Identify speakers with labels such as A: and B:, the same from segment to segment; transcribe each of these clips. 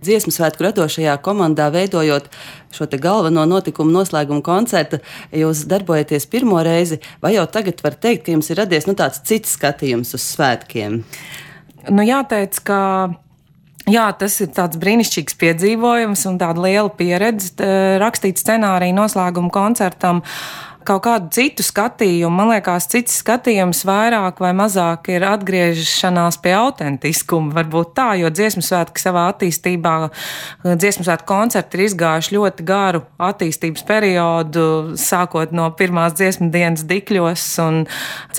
A: Dziesmu svētku radošajā komandā veidojot šo te galveno notikumu noslēgumu koncertu, jūs darbojaties pirmo reizi, vai jau tagad var teikt, ka jums ir radies tāds cits skatījums uz svētkiem?
B: Jāteic, ka jā, tas ir tāds brīnišķīgs piedzīvojums un tāda liela pieredze rakstīt scenāriju noslēgumu koncertam. Kaut kādu citu skatījumu, man liekas, cits skatījums vairāk vai mazāk ir atgriešanās pie autentiskuma, varbūt tā, jo dziesmu svētki savā attīstībā, dziesmu svētku koncerti ir izgājuši ļoti garu attīstības periodu, sākot no pirmās dziesmu dienas Dikļos un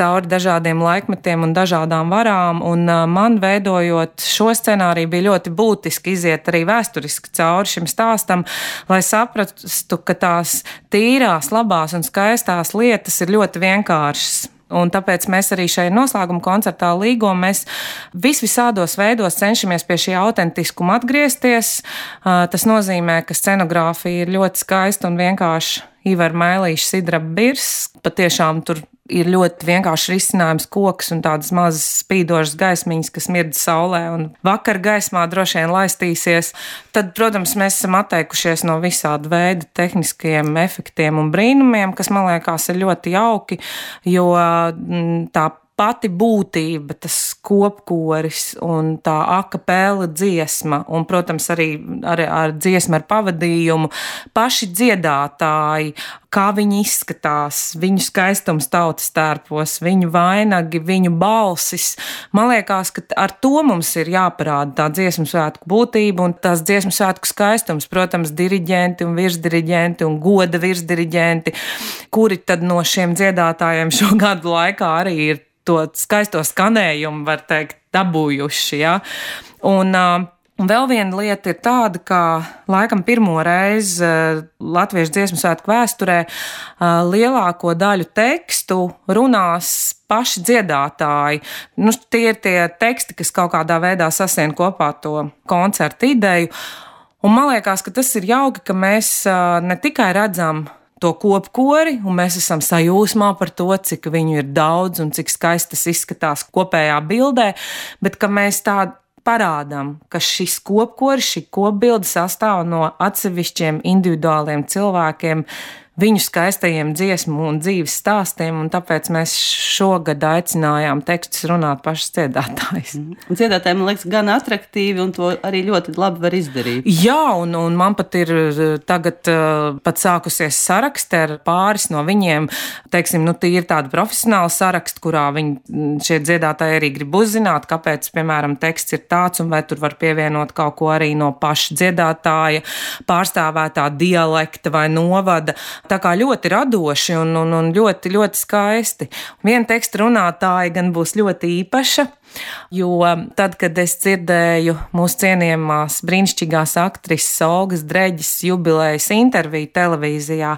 B: cauri dažādiem laikmetiem un dažādām varām, un man veidojot šo scenāriju bija ļoti būtiski iziet arī vēsturiski cauri šim stāstam, lai saprastu, ka tās tīrās, labās un skaistās lietas ir ļoti vienkāršas. Un tāpēc mēs arī šajā noslēguma koncertā Līgo mēs visādos veidos cenšamies pie šī autentiskuma atgriezties. Tas nozīmē, ka scenogrāfija ir ļoti skaista un vienkārši Ivar Mēlīša sidraba birs. Patiešām tur ir ļoti vienkārši risinājums koks un tādas mazas spīdošas gaismiņas, kas mirdz saulē un vakar gaismā droši vien laistīsies. Tad, protams, mēs esam atteikušies no visāda veida tehniskajiem efektiem un brīnumiem, kas, man liekas, ir ļoti jauki, jo tā pati būtība, tas kopkoris un tā akapela dziesma un, protams, arī ar dziesmu ar pavadījumu, paši dziedātāji, kā viņi izskatās, viņu skaistums tautas tērpos, viņu vainagi, viņu balsis. Man liekas, ka ar to mums ir jāparāda tā dziesmu svētku būtība un tās dziesmu svētku skaistums. Protams, diriģenti un virsdiriģenti un goda virsdiriģenti, kuri tad no šiem dziedātājiem šo gadu laikā arī ir to skaisto skanējumu, var teikt, dabūjuši. Ja? Un vēl viena lieta ir tāda, ka laikam pirmo reizi Latviešu dziesmu svētku vēsturē lielāko daļu tekstu runās paši dziedātāji. Tie ir tie teksti, kas kaut kādā veidā sasien kopā to koncertu ideju. Un man liekas, ka tas ir jauki, ka mēs ne tikai redzam to kopkori, un mēs esam sajūsmā par to, cik viņu ir daudz un cik skaisti tas izskatās kopējā bildē, bet ka mēs tā parādām, ka šis kopkoris, šī kopbilde sastāv no atsevišķiem individuāliem cilvēkiem, viņu skaistajiem dziesmu un dzīves stāstiem, un tāpēc mēs šogad aicinājām tekstus runāt pašas dziedātājs.
A: Un dziedātājiem, man liekas, gan atraktīvi, un to arī ļoti labi var izdarīt.
B: Jā, un man pat ir tagad pat sākusies saraksti ar pāris no viņiem, teiksim, tie ir tādi profesionāli saraksti, kurā šie dziedātāji arī grib uzzināt, kāpēc, piemēram, teksts ir tāds, un vai tur var pievienot kaut ko arī no paša dziedātāja, pārstāvētā dialekta vai novada. Tā kā ļoti radoši un ļoti, ļoti skaisti. Viena teksta runātāja gan būs ļoti īpaša, jo tad, kad es dzirdēju mūsu cienījamās brīnišķīgās aktrises Olgas Dreģes jubilejas interviju televīzijā,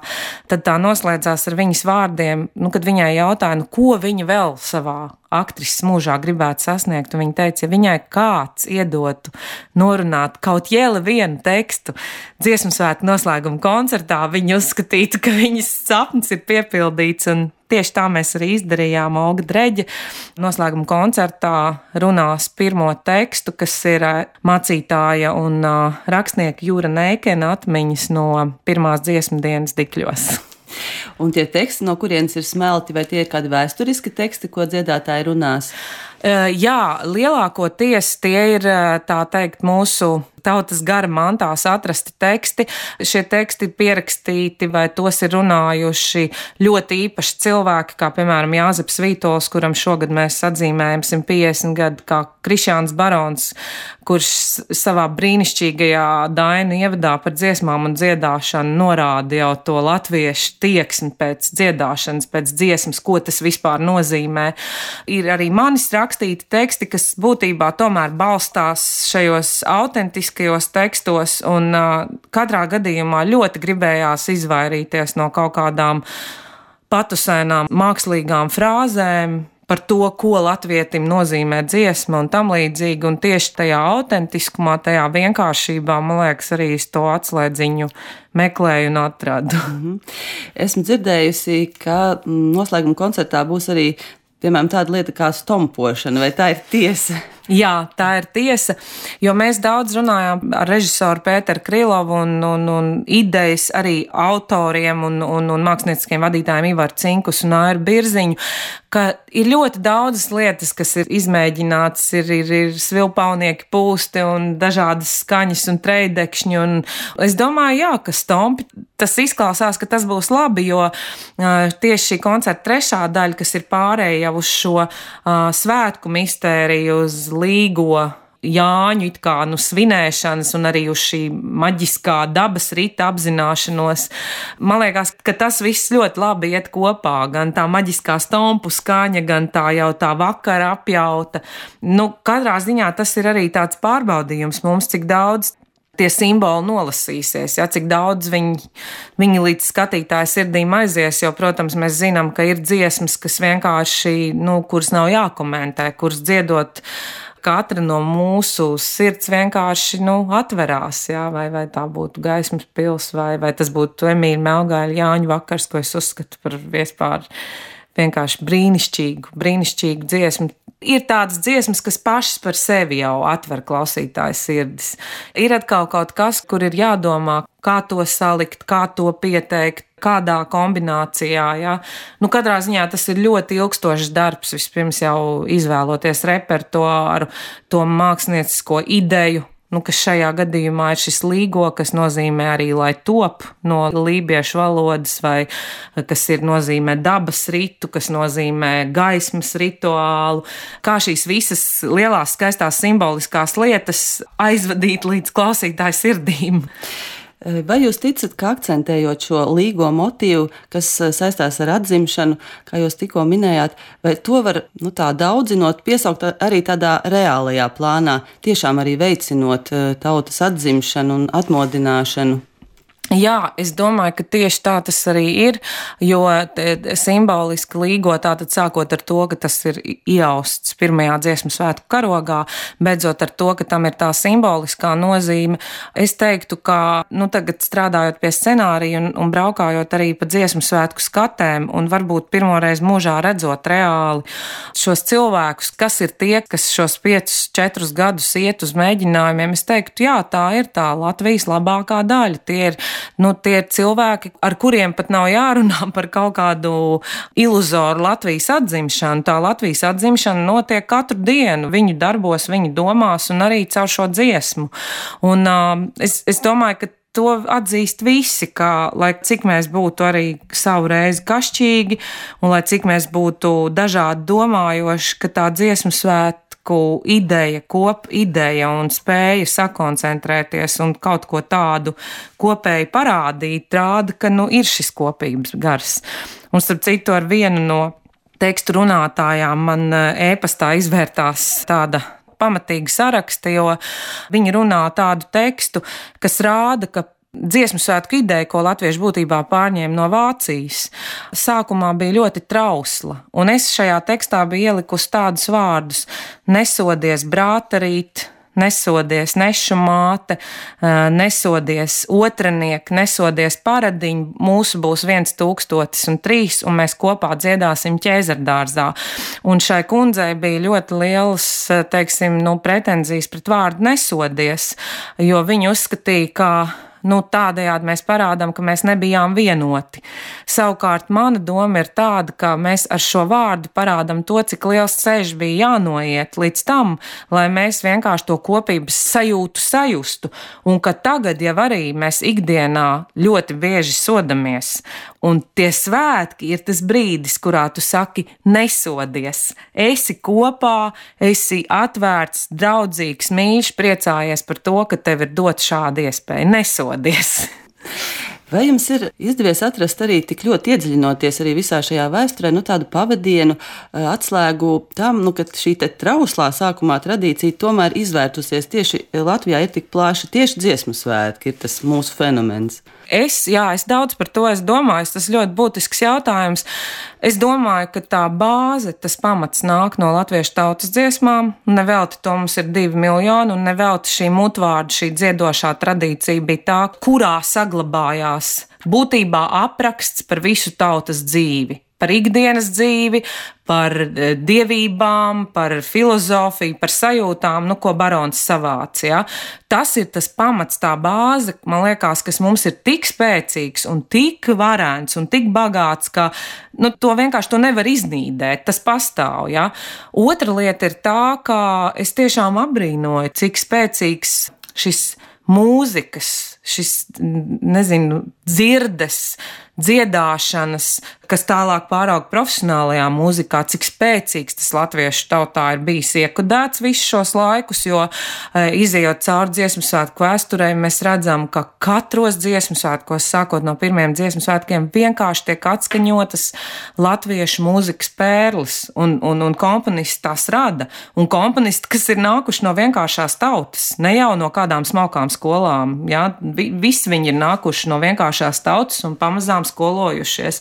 B: tad tā noslēdzās ar viņas vārdiem, kad viņai jautāja, ko viņa vēl savā aktrises mūžā gribētu sasniegt, un viņa teica, ja viņai kāds iedotu norunāt kaut jēli vienu tekstu dziesmu svētku noslēguma koncertā, viņa uzskatītu, ka viņas sapnis ir piepildīts, un tieši tā mēs arī izdarījām. Olga Dreģe noslēguma koncertā runās pirmo tekstu, kas ir mācītāja un rakstnieka Jūra Neikena atmiņas no pirmās dziesmu dienas Dikļos.
A: Un tie teksti, no kurienes ir smelti, vai tie ir kādi vēsturiski teksti, ko dziedātāji runās?
B: Jā, lielākoties tie ir, tā teikt, mūsu tautas gara mantās atrasti teksti. Šie teksti ir pierakstīti vai tos ir runājuši ļoti īpaši cilvēki, kā piemēram Jāzeps Vītols, kuram šogad mēs atzīmējam 150 gadu, kā Krišjāns Barons, kurš savā brīnišķīgajā dainu ievadā par dziesmām un dziedāšanu norāda jau to latviešu tieksmi pēc dziedāšanas, pēc dziesmas, ko tas vispār nozīmē. Ir arī manis rakstīti teksti, kas būtībā tomēr balstās šajos autentiskajos tekstos, un katrā gadījumā ļoti gribējās izvairīties no kaut kādām patusēnām mākslīgām frāzēm par to, ko latvietim nozīmē dziesma un tam līdzīgi, un tieši tajā autentiskumā, tajā vienkāršībā, man liekas, arī es to atslēdziņu meklēju un atradu.
A: Esmu dzirdējusi, ka noslēguma koncertā būs arī piemēram, tāda lieta kā stompošana, vai tā ir tiesa?
B: Jā, tā ir tiesa, jo mēs daudz runājām ar režisoru Pēteru Krilovu un idejas arī autoriem un mākslinieciskiem vadītājiem Ivaru Cinkus un Airu Birziņu, ka ir ļoti daudzas lietas, kas ir izmēģināts, ir svilpaunieki pūsti un dažādas skaņas un trejdekšņi, un es domāju, jā, ka stompi, tas izklausās, ka tas būs labi, jo tieši šī koncerta trešā daļa, kas ir pārēja jau uz šo svētku mistēriju, uz līgo Jāņu it kā svinēšanas un arī uz šī maģiskā dabas rita apzināšanos. Man liekas, ka tas viss ļoti labi iet kopā, gan tā maģiskā stompu skaņa, gan tā jau tā vakara apjauta. Katrā ziņā tas ir arī tāds pārbaudījums mums, cik daudz tie simboli nolasīsies, ja, cik daudz viņi līdz skatītāja sirdīm aizies, jo, protams, mēs zinām, ka ir dziesmas, kas vienkārši, kuras nav jākomentē, kuras dziedot katra no mūsu sirds vienkārši atverās, jā, vai tā būtu Gaismas pils, vai tas būtu Emīļa Melgāļa Jāņu vakars, ko es uzskatu par vispār vienkārši brīnišķīgu dziesmu. Ir tādas dziesmas, kas pašas par sevi jau atver klausītāju sirdis. Ir atkal kaut kas, kur ir jādomā, kā to salikt, kā to pieteikt, kādā kombinācijā. Ja? Katrā ziņā tas ir ļoti ilgstošs darbs, vispirms jau izvēloties repertuāru, to māksliniecisko ideju, kas šajā gadījumā ir šis līgo, kas nozīmē arī, lai top no lībiešu valodas, vai kas nozīmē dabas ritu, kas nozīmē gaismas rituālu, kā šīs visas lielās, skaistās, simboliskās lietas aizvadīt līdz klausītāju sirdīm.
A: Vai jūs ticat, ka akcentējot šo līgo motīvu, kas saistās ar atzimšanu, kā jūs tikko minējāt, vai to var tā daudzinot, piesaukt arī tādā reālajā plānā, tiešām arī veicinot tautas atzimšanu un atmodināšanu?
B: Jā, es domāju, ka tieši tā tas arī ir, jo simboliski līgo tātad sākot ar to, ka tas ir iausts pirmajā dziesmu svētku karogā, beidzot ar to, ka tam ir tā simboliskā nozīme. Es teiktu, ka tagad strādājot pie scenārija un braukājot arī pa dziesmu svētku skatēm un varbūt pirmoreiz mūžā redzot reāli šos cilvēkus, kas ir tie, kas šos 5-4 gadus iet uz mēģinājumiem, es teiktu, jā, tā ir tā Latvijas labākā daļa. Tie ir cilvēki, ar kuriem pat nav jārunā par kaut kādu iluzoru Latvijas atzimšanu. Tā Latvijas atzimšana notiek katru dienu, viņu darbos, viņu domās un arī caur šo dziesmu. Un es domāju, ka to atzīst visi, ka, lai cik mēs būtu arī savu reizi kašķīgi un lai cik mēs būtu dažādi domājoši, ka tā dziesmu svētku ideja, kopideja un spēja sakoncentrēties un kaut ko tādu kopēji parādīt, rāda, ka ir šis kopības gars. Un starp citu ar vienu no tekstu runātājām man e-pastā izvērtās tāda pamatīga saraksta, jo viņi runā tādu tekstu, kas rāda, ka dziesmu svētku ideja, ko latvieši būtībā pārņēma no Vācijas, sākumā bija ļoti trausla, un es šajā tekstā biju ielikusi tādus vārdus: nesodies brātarīt, nesodies nešu māte, nesodies otrinieki, nesodies paradiņi, mūsu būs 1003, un mēs kopā dziedāsim Ķēzardārzā. Un šai kundzei bija ļoti lielas, pretenzijas pret vārdu nesodies, jo viņa uzskatīja, ka tādējādi mēs parādām, ka mēs nebijām vienoti. Savukārt mana doma ir tāda, ka mēs ar šo vārdu parādām to, cik liels ceļš bija jānoiet līdz tam, lai mēs vienkārši to kopības sajūtu sajustu, un ka tagad jau arī mēs ikdienā ļoti bieži sodamies. Un tie svētki ir tas brīdis, kurā tu saki nesodies. Esi kopā, esi atvērts, draudzīgs, mīļš, priecājies par to, ka tev ir dot šāda iespēja. Nesodies!
A: Vai jums ir izdevies atrast arī tik ļoti iedziļinoties arī visā šajā vēsturē, tādu pavadienu, atslēgu tam, ka šī trauslā sākumā tradīcija tomēr izvērtusies tieši Latvijā ir tik plaši, tieši dziesmu svētki ir tas mūsu fenomens?
B: Es daudz par to domāju, tas ļoti būtisks jautājums. Es domāju, ka tā bāze, tas pamats nāk no latviešu tautas dziesmām, nevelti to mums ir 2 miljoni, un nevelti šī mutvārda, šī dziedošā tradīcija bija tā, kurā saglabājās būtībā apraksts par visu tautas dzīvi. par ikdienas dzīvi, par dievībām, par filozofiju, par sajūtām, ko barons savāc. Ja? Tas ir tas pamats, tā bāze, man liekas, kas mums ir tik spēcīgs un tik varens un tik bagāts, ka to vienkārši nevar iznīdēt, tas pastāv. Ja? Otra lieta ir tā, ka es tiešām apbrīnoju, cik spēcīgs šis mūzikas, šis, dzirdes, dziedāšanas, kas tālāk pārauga profesionālajā mūzikā, cik spēcīgs tas latviešu tautā ir bijis iekodēts visus šos laikus, jo izejot cauri dziesmu svētku vēsturei, mēs redzam, ka katros dziesmu svētkos, sākot no pirmiem dziesmu svētkiem, vienkārši tiek atskaņotas latviešu mūzikas pērles, un komponisti tās rada, un komponisti, kas ir nākuši no vienkāršās tautas, ne jau no kādām smalkām skolām, ja? Visi viņi ir nākuši no vienkāršās tautas un pamazām skolojušies.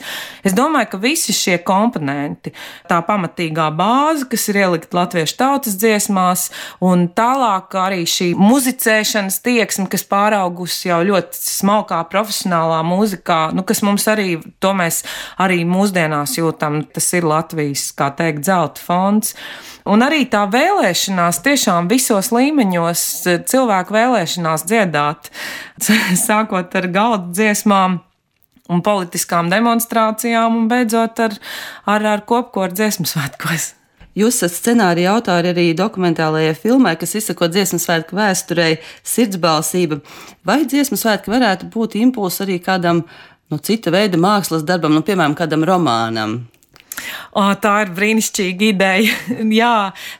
B: Es domāju, ka visi šie komponenti, tā pamatīgā bāze, kas ir ielikt latviešu tautas dziesmās, un tālāk arī šī muzicēšanas tieksme, kas pāraugusi jau ļoti smalkā profesionālā mūzikā, kas mums arī, to mēs arī mūsdienās jūtam, tas ir Latvijas, kā teikt, zelta fonds. Un arī tā vēlēšanās tiešām visos līmeņos, cilvēku vēlēšanās dziedāt, sākot ar galda dziesmām un politiskām demonstrācijām un beidzot ar kopkoru dziesmu svētkos.
A: Jūs esat scenārija autori arī dokumentālajai filmai, kas izsako dziesmu svētku vēsturei Sirdsbalsība. Vai dziesmu svētki varētu būt impulss arī kādam cita veida mākslas darbam, piemēram, kādam romānam?
B: Tā ir brīnišķīga ideja. Jā,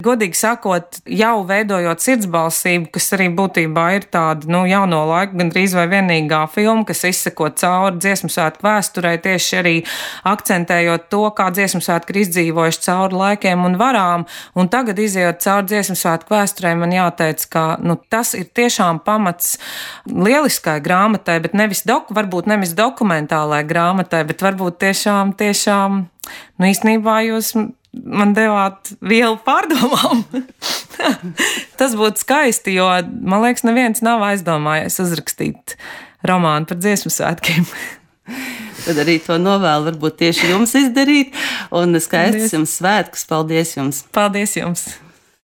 B: godīgi sakot, jau veidojot Sirdsbalsību, kas arī būtībā ir tāda jauno laiku gandrīz vai vienīgā filma, kas izsako cauri dziesmu svētku vēsturei, tieši arī akcentējot to, kā dziesmu svētki ir izdzīvojuši cauri laikiem un varām. Un tagad, izejot cauri dziesmu svētku vēsturei, man jāteic, ka tas ir tiešām pamats lieliskai grāmatai, bet varbūt nevis dokumentālai grāmatai, bet varbūt tiešām īstenībā jūs man devāt vielu pārdomām. Tas būtu skaisti, jo, man liekas, neviens nav aizdomājies uzrakstīt romānu par dziesmu svētkiem.
A: Tad arī to novēlu varbūt tieši jums izdarīt. Un skaistus jums svētkus. Paldies jums!
B: Paldies jums!